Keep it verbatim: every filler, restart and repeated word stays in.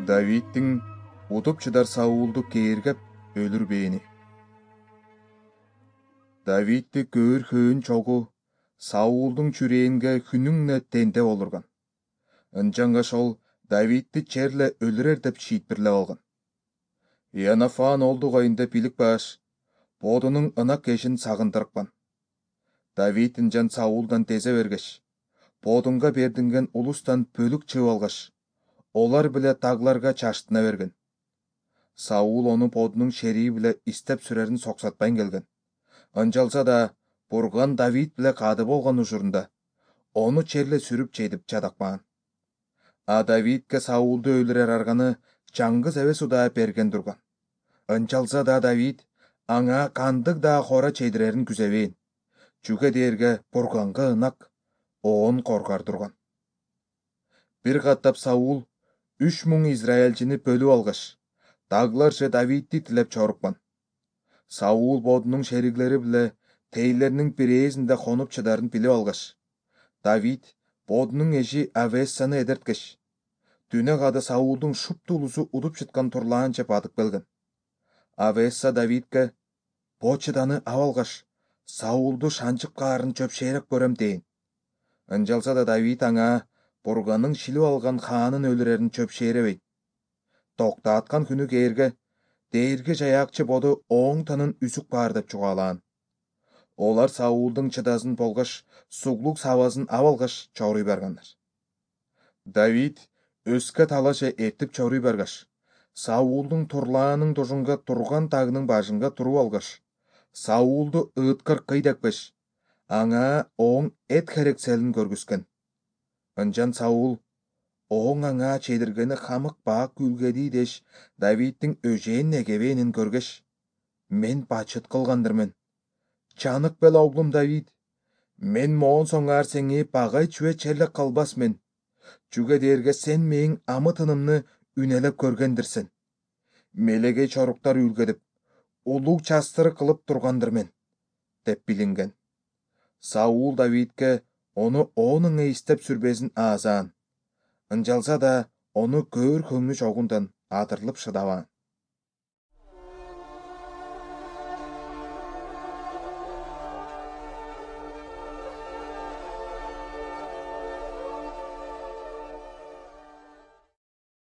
Давидтин утуп чыдар Саулду кээргеп өлүрбээни. Давидти көөр-хөөн чогу Саулдун чүрээнге хүнүңне тенде болурган. Ынчангаш ол Давидти черле өлүрер деп шийтпирлеп алган. Иоаннафан олдугайында билик баш, бодунун ынак кешин сагындырыкпан. Давид ынчан Саулдан тезе бергеш, бодунга бердинген улустан бөлүк чыгып алгаш, олар биле тагларга чаштына берген. Саул ону бодунун шерии биле истеп сүрерин соксатпайн келген. Ынчалса да Бурган Давид биле кады болгон учурунда ону черле сүрүп чейдип чадакпаган. А Давидке Саулду өлүрер арганы чаңгыз эбес удаа берген турган. Ынчалса да Давид аңа кандык да хора чейдирерин күзөбөйн. Чүге дээрге Бурганга ынак, оон коргар турган. Бир каттап Саул үч муң израилчини бөлүп алгаш, таглар же Давидти тилеп чоруккан. Саул бодунун шериглери биле тейлеринин бирээсинде конуп чыдарын билип алгаш, Давид бодунун эжи Авессаны эдерткеш, түнө када Саулдун шуптулусу удуп чыткан турлаанча батып келген. Авесса Давидке бо чыданы ап алгаш, Саулду шанчып каарын чөпшээреп көрөм дейин. Ынчалса да Давид аңа Бурганын шилип алган хаанын өлүрерин чөпшээребейт. Токтаткан күнү кээрге дээрге жаякчы боду оң танын үзүк баар деп чугаалаан. Олар Саулдун чыдасын болгош суглук сабазын ап алгаш чоруй баргандар. Давид өскө талаша эртип чоруй баргаш, Саулдун турлаанын тушунга турган тагынын башынга туруп алгаш, Саулду ыыткыр кый декпеш, аңа оң эт херекселин көргүзгөн. Ынчан Саул оң аңа чейдиргени хамык баа күлгедий деш Давидтин өжээн негебенин көргөш, мен бачыт кылгандырмын. Чанык бел оглум Давид, мен моон соңаар сеңи багай чүве черлек калбасмын. Чүге дээрге сен мээң амытынымны үнелеп көргөндүрсүн. Мелегей чоруктар үлгедип, улуг частыры кылып тургандырмын, деп билинген. Саул Давидке ону оон эстеп сүрбесин аазаан. Ынчалса да ону көөр-хөңү чогундан атырылып шыдабаан.